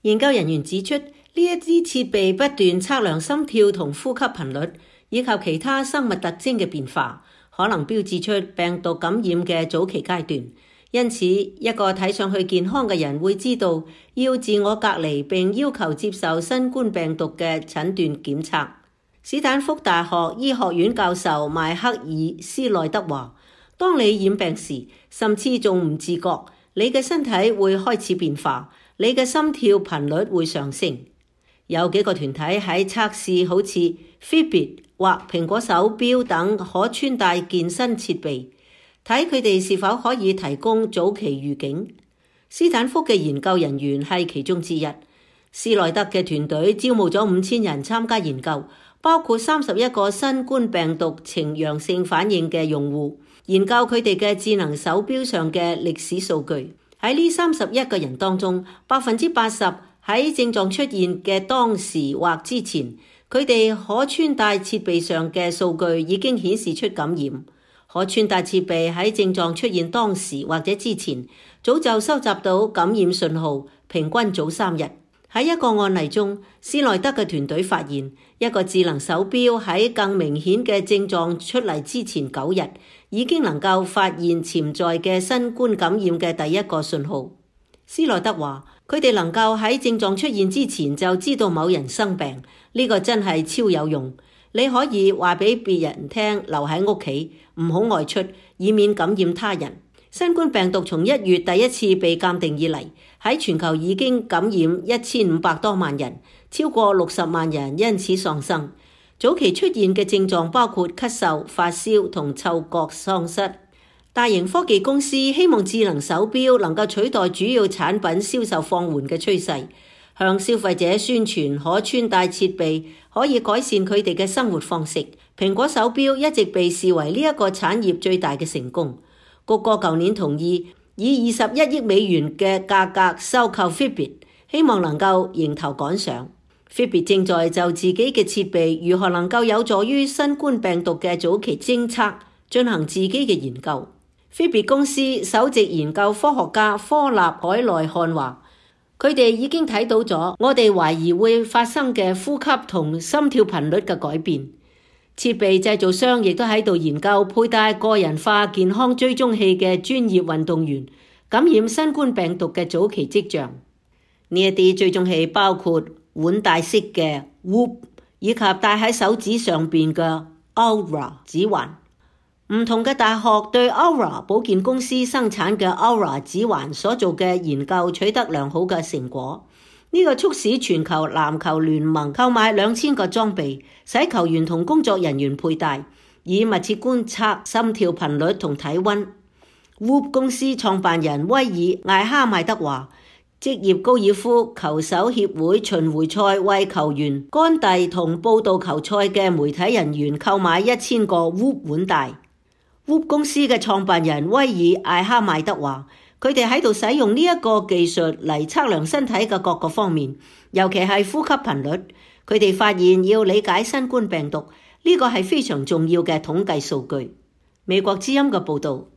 研究人員指出，呢一啲設備不斷測量心跳同呼吸頻率，以及其他生物特徵嘅變化，可能標誌出病毒感染嘅早期階段。因此，一個睇上去健康嘅人會知道要自我隔離，並要求接受新冠病毒嘅診斷檢測。史坦福大學醫學院教授邁克爾斯內德話，當你染病時，甚至仲唔自覺，你嘅身體會開始變化，你嘅心跳頻率會上升。有幾個團體喺測試好似 Fitbit 或蘋果手錶等可穿戴健身設備，睇佢哋是否可以提供早期預警。斯坦福嘅研究人員係其中之一。斯內德嘅團隊招募咗5000人參加研究，包括31個新冠病毒呈陽性反應嘅用戶，研究佢哋嘅智能手錶上嘅歷史數據。喺呢31個人當中，80%喺症狀出現嘅當時或之前，佢哋可穿戴設備上嘅數據已經顯示出感染。可穿戴設備喺症狀出現當時或者之前，早就收集到感染信號，平均早3日。喺一個案例中，斯內德嘅團隊發現，一個智能手錶喺更明顯嘅症狀出嚟之前9日，已經能夠發現潛在嘅新冠感染嘅第一個信號。斯內德話，佢哋能夠喺症狀出現之前就知道某人生病，呢個真係超有用。你可以話俾別人聽，留喺屋企，唔好外出，以免感染他人。新冠病毒從1月第一次被鑑定以嚟，喺全球已經感染1500多萬人，超過60萬人因此喪生。早期出現嘅症狀包括咳嗽、發燒同嗅覺喪失。大型科技公司希望智能手錶能夠取代主要產品銷售放緩嘅趨勢，向消費者宣傳可穿戴設備可以改善佢哋嘅生活方式。蘋果手錶一直被視為呢一個產業最大嘅成功。谷歌舊年同意以21億美元嘅價格收購 Fitbit， 希望能夠迎頭趕上。Fitbit 正在就自己嘅設備如何能夠有助於新冠病毒嘅早期偵測進行自己嘅研究。Fitbit 公司首席研究科學家科納海內漢話，佢哋已經睇到咗我哋懷疑會發生嘅呼吸同心跳頻率嘅改變。設備製造商亦都喺度研究佩戴個人化健康追蹤器嘅專業運動員感染新冠病毒嘅早期跡象。呢一啲追蹤器包括腕帶式嘅 Whoop 以及戴喺手指上邊嘅 Aura 指環。唔同嘅大學對 Aura 保健公司生產嘅 Aura 指環所做嘅研究取得良好嘅成果。呢個促使全球籃球聯盟購買2000個裝備，使球員同工作人員佩戴，以密切觀察心跳頻率同體溫。Whoop 公司創辦人威爾艾哈邁德話，職業高爾夫球手協會巡迴賽為球員、乾弟同報道球賽嘅媒體人員購買1000個 Whoop 腕帶。Whoop 公司嘅創辦人威爾艾哈邁德話，佢哋喺度使用呢一個技術嚟測量身體嘅各個方面，尤其係呼吸頻率。佢哋發現要理解新冠病毒，呢個係非常重要嘅統計數據。美國之音嘅報導。